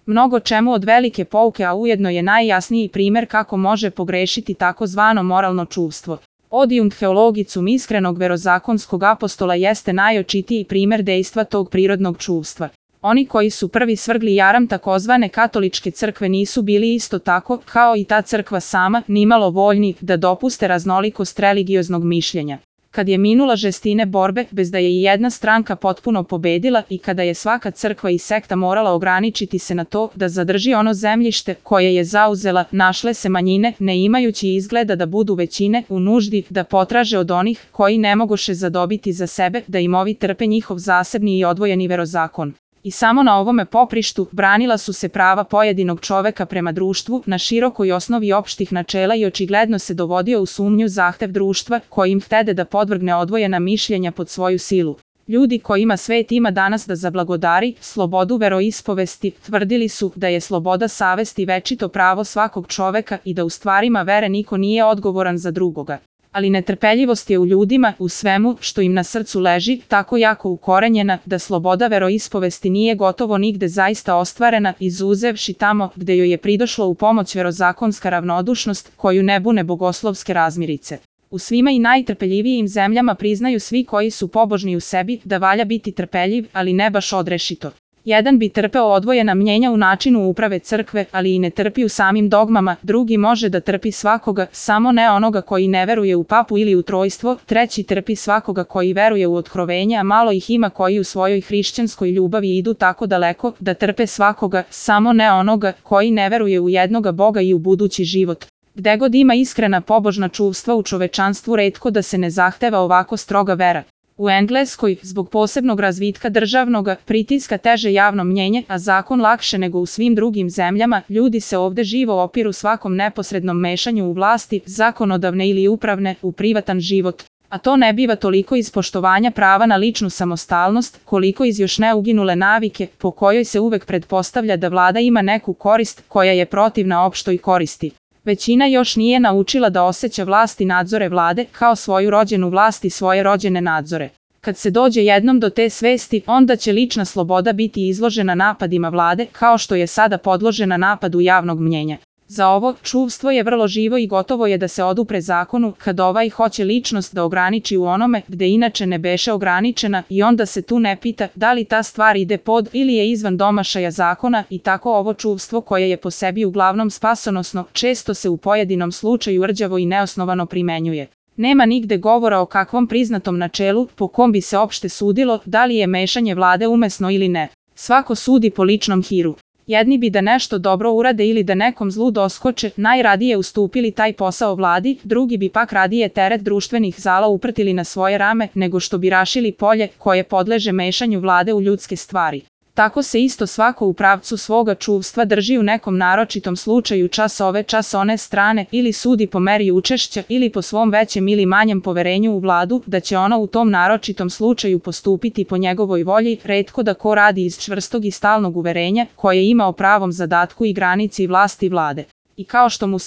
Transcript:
mnogo čemu od velike pouke, a ujedno je najjasniji primer kako može pogrešiti takozvano moralno čuvstvo. Odium theologicum iskrenog verozakonskog apostola jeste najočitiji primer dejstva tog prirodnog čuvstva. Oni koji su prvi svrgli jaram takozvane katoličke crkve nisu bili isto tako, kao i ta crkva sama, nimalo voljni da dopuste raznolikost religioznog mišljenja. Kad je minula žestine borbe, bez da je i jedna stranka potpuno pobedila i kada je svaka crkva i sekta morala ograničiti se na to da zadrži ono zemljište koje je zauzela, našle se manjine, ne imajući izgleda da budu većine, u nuždi da potraže od onih koji ne mogoše zadobiti za sebe da im ovi trpe njihov zasebni i odvojeni verozakon. I samo na ovome poprištu branila su se prava pojedinog čoveka prema društvu na širokoj osnovi opštih načela i očigledno se dovodio u sumnju zahtev društva kojim htede da podvrgne odvojena mišljenja pod svoju silu. Ljudi kojima svet ima danas da zablagodari slobodu veroispovesti, tvrdili su da je sloboda savesti večito pravo svakog čoveka i da u stvarima vere niko nije odgovoran za drugoga. Ali netrpeljivost je u ljudima, u svemu što im na srcu leži, tako jako ukorenjena da sloboda veroispovesti nije gotovo nigde zaista ostvarena, izuzevši tamo gde joj je pridošlo u pomoć verozakonska ravnodušnost koju ne bune bogoslovske razmirice. U svima i najtrpeljivijim zemljama priznaju svi koji su pobožni u sebi da valja biti trpeljiv, ali ne baš odrešito. Jedan bi trpeo odvojena mnjenja u načinu uprave crkve, ali i ne trpi u samim dogmama, drugi može da trpi svakoga, samo ne onoga koji ne veruje u papu ili u trojstvo, treći trpi svakoga koji veruje u otkrovenje, a malo ih ima koji u svojoj hrišćanskoj ljubavi idu tako daleko da trpe svakoga, samo ne onoga koji ne veruje u jednoga Boga i u budući život. Gde god ima iskrena pobožna čuvstva u čovečanstvu, retko da se ne zahteva ovako stroga vera. U Engleskoj, zbog posebnog razvitka državnog pritiska teže javno mnjenje, a zakon lakše nego u svim drugim zemljama, ljudi se ovde živo opiru svakom neposrednom mešanju u vlasti, zakonodavne ili upravne, u privatan život. A to ne biva toliko iz poštovanja prava na ličnu samostalnost, koliko iz još ne uginule navike, po kojoj se uvek pretpostavlja da vlada ima neku korist koja je protivna opštoj koristi. Većina još nije naučila da osjeća vlast i nadzore vlade, kao svoju rođenu vlast i svoje rođene nadzore. Kad se dođe jednom do te svesti, onda će lična sloboda biti izložena napadima vlade, kao što je sada podložena napadu javnog mnjenja. Za ovo, čuvstvo je vrlo živo i gotovo je da se odupre zakonu, kad ovaj hoće ličnost da ograniči u onome gde inače ne beše ograničena i onda se tu ne pita da li ta stvar ide pod ili je izvan domašaja zakona i tako ovo čuvstvo koje je po sebi uglavnom spasonosno, često se u pojedinom slučaju rđavo i neosnovano primenjuje. Nema nigde govora o kakvom priznatom načelu po kom bi se opšte sudilo da li je mešanje vlade umesno ili ne. Svako sudi po ličnom hiru. Jedni bi da nešto dobro urade ili da nekom zlu doskoče, najradije ustupili taj posao vladi, drugi bi pak radije teret društvenih zala uprtili na svoje rame, nego što bi rašili polje koje podleže mešanju vlade u ljudske stvari. Tako se isto svako u pravcu svoga čuvstva drži u nekom naročitom slučaju čas ove čas one strane ili sudi po meri učešća ili po svom većem ili manjem poverenju u vladu da će ona u tom naročitom slučaju postupiti po njegovoj volji, retko da ko radi iz čvrstog i stalnog uverenja koje ima o pravom zadatku i granici vlasti vlade. I kao što mu